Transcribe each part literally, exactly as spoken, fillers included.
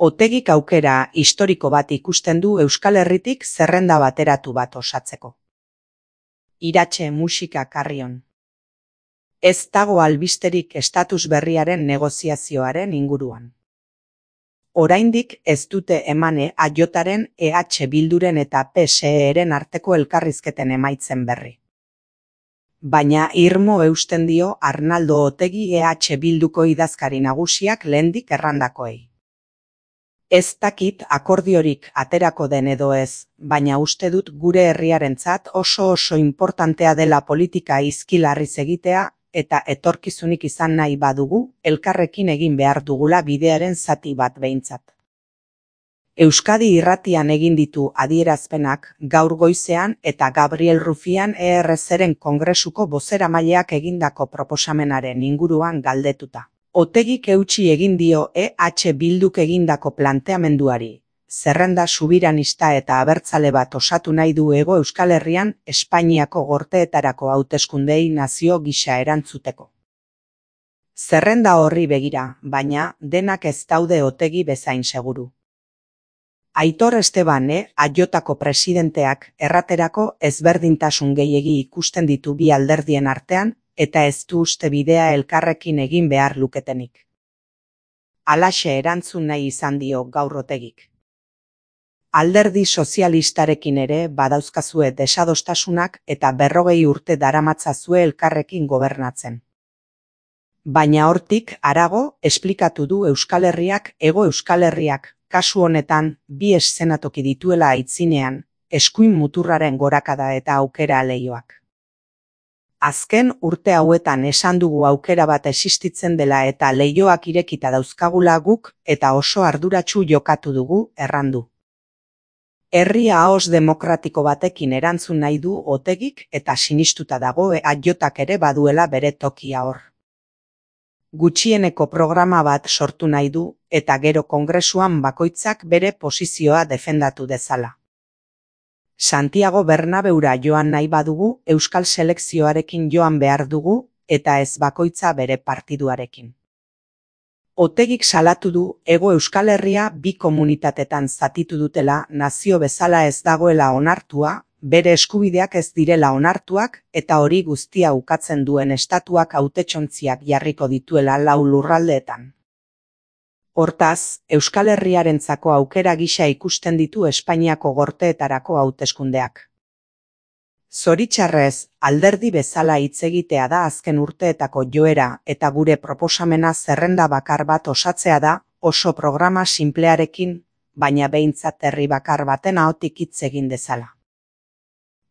Otegik aukera historiko bat ikusten du Euskal Herritik zerrenda bateratu bat osatzeko. Iratxe musika Carrion. Ez dago albisterik estatus berriaren negoziazioaren inguruan. Oraindik ez dute emane A Jaren, E H Bilduren eta P S E-ren arteko elkarrizketen emaitzen berri. Baina irmo eusten dio Arnaldo Otegi E H Bilduko idazkari nagusiak lehendik errandakoei. Ez dakit akordiorik aterako den edo ez, baina uste dut gure herriarentzat oso oso importantea dela politika izkilarriz egitea, eta etorkizunik izan nahi badugu, elkarrekin egin behar dugula bidearen zati bat behintzat. Euskadi Irratian egin ditu adierazpenak gaur goizean eta Gabriel Rufián E R Z-ren kongresuko bozeramaileak egindako proposamenaren inguruan galdetuta. Otegik eutsi egin dio E H Bilduk egindako planteamenduari, zerrenda subiranista eta abertzale bat osatu nahi du Hego Euskal Herrian Espainiako gorteetarako hauteskundei nazio gisa erantzuteko. Zerrenda horri begira, baina denak ez daude Otegi bezain seguru. Aitor Esteban E Jko presidenteak erraterako ezberdintasun gehiegi ikusten ditu bi alderdien artean, eta ez du uste bidea elkarrekin egin behar luketenik. Halaxe erantzun nahi izan dio gaur Otegik. Alderdi sozialistarekin ere badauzkazue desadostasunak eta berrogei urte daramatzazue elkarrekin gobernatzen. Baina hortik harago esplikatu du Euskal Herriak Hego Euskal Herriak kasu honetan bi eszenatoki dituela aitzinean, eskuin muturraren gorakada eta aukera leioak. Azken urte hauetan esan dugu aukera bat existitzen dela eta leioak irekita dauzkagula guk eta oso arduratsu jokatu dugu, errandu. Herri ahoz demokratiko batekin erantzun nahi du Otegik eta sinistuta dago E Jak ere baduela bere tokia hor. Gutxieneko programa bat sortu nahi du eta gero kongresuan bakoitzak bere posizioa defendatu dezala. Santiago Bernabeura joan nahi badugu Euskal selekzioarekin joan behar dugu eta ez bakoitza bere partiduarekin. Otegik salatu du Hego Euskal Herria bi komunitatetan zatitu dutela nazio bezala ez dagoela onartua, bere eskubideak ez direla onartuak eta hori guztia ukatzen duen estatuak hautetsontziak jarriko dituela lau lurraldeetan. Hortaz, Euskal Herriarentzako aukera gisa ikusten ditu Espainiako gorteetarako hauteskundeak. Zoritxarrez, alderdi bezala hitz egitea da azken urteetako joera eta gure proposamena zerrenda bakar bat osatzea da oso programa sinplearekin, baina behintzat herri bakar baten ahotik hitz egin dezala.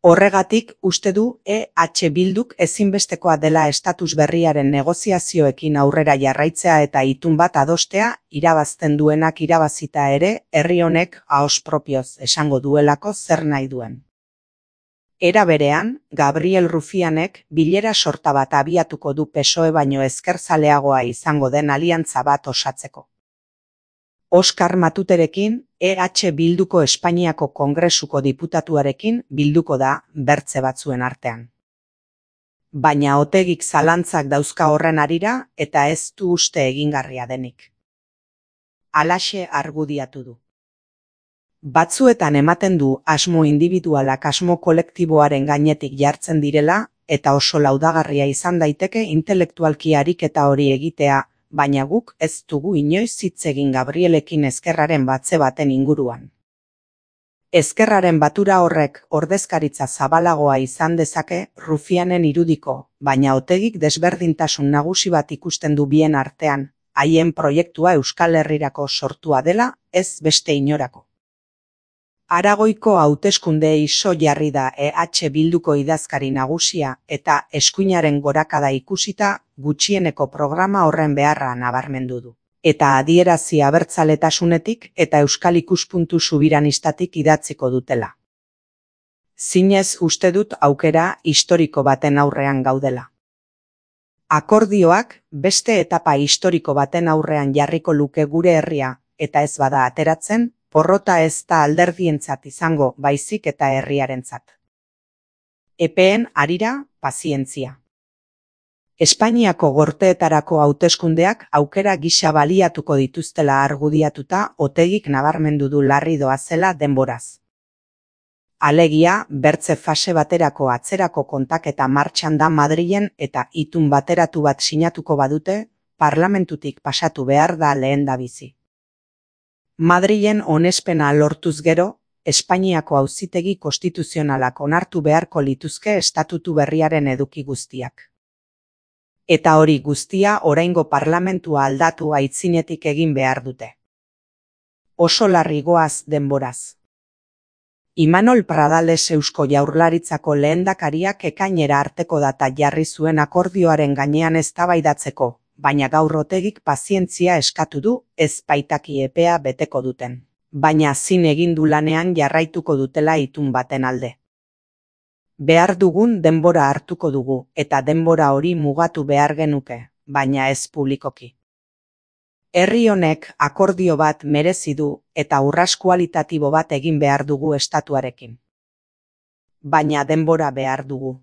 Horregatik uste du E H Bilduk ezinbestekoa dela estatus berriaren negoziazioekin aurrera jarraitzea eta itun bat adostea, irabazten duenak irabazita ere, herri honek ahoz propioz esango duelako zer nahi duen. Era berean, Gabriel Rufianek bilera sorta bat abiatuko du P S O E baino ezkerzaleagoa izango den aliantza bat osatzeko. Oskar Matuterekin, E H Bilduko Espainiako Kongresuko diputatuarekin bilduko da bertze batzuen artean. Baina Otegik zalantzak dauzka horren harira eta ez du uste egingarria denik. Halaxe argudiatu du. Batzuetan ematen du asmo individualak asmo kolektiboaren gainetik jartzen direla eta oso laudagarria izan daiteke intelektualki ariketa hori egitea, baina guk ez dugu inoiz hitz egin Gabrielekin ezkerraren batze baten inguruan. Ezkerraren batura horrek ordezkaritza zabalagoa izan dezake Rufianen irudiko, baina Otegik desberdintasun nagusi bat ikusten du bien artean, haien proiektua Euskal Herrirako sortua dela, ez beste inorako. Aragoiko hauteskundeei so jarri da E H Bilduko idazkari nagusia eta eskuinaren gorakada ikusita gutxieneko programa horren beharra nabarmendu du. Eta adierazi abertzaletasunetik eta euskal ikuspuntu subiranistatik idatziko dutela. Zinez uste dut aukera historiko baten aurrean gaudela. Akordioak beste etapa historiko baten aurrean jarriko luke gure herria eta ez bada ateratzen, porrota ez da alderdientzat izango baizik eta herriarentzat. Epeen harira, pazientzia. Espainiako gorteetarako hauteskundeak aukera gisa baliatuko dituztela argudiatuta Otegik nabarmendu du larri doazela denboraz. Alegia, bertze fase baterako atzerako kontaketa martxan da Madrilen eta itun bateratu bat sinatuko badute, parlamentutik pasatu behar da lehendabizi. Madrilen onespena lortuz gero, Espainiako auzitegi konstituzionalak onartu beharko lituzke estatutu berriaren eduki guztiak. Eta hori guztia oraingo parlamentua aldatu aitzinetik egin behar dute. Oso larri goaz denboraz. Imanol Pradales Eusko Jaurlaritzako lehendakariak ekainera arteko data jarri zuen akordioaren gainean eztabaidatzeko, baina gaur Otegik pazientzia eskatu du, ez baitaki epea beteko duten. Baina zin egin du lanean jarraituko dutela itun baten alde. Behar dugun denbora hartuko dugu, eta denbora hori mugatu behar genuke, baina ez publikoki. Herri honek akordio bat merezi du eta urrats kualitatibo bat egin behar dugu estatuarekin. Baina denbora behar dugu.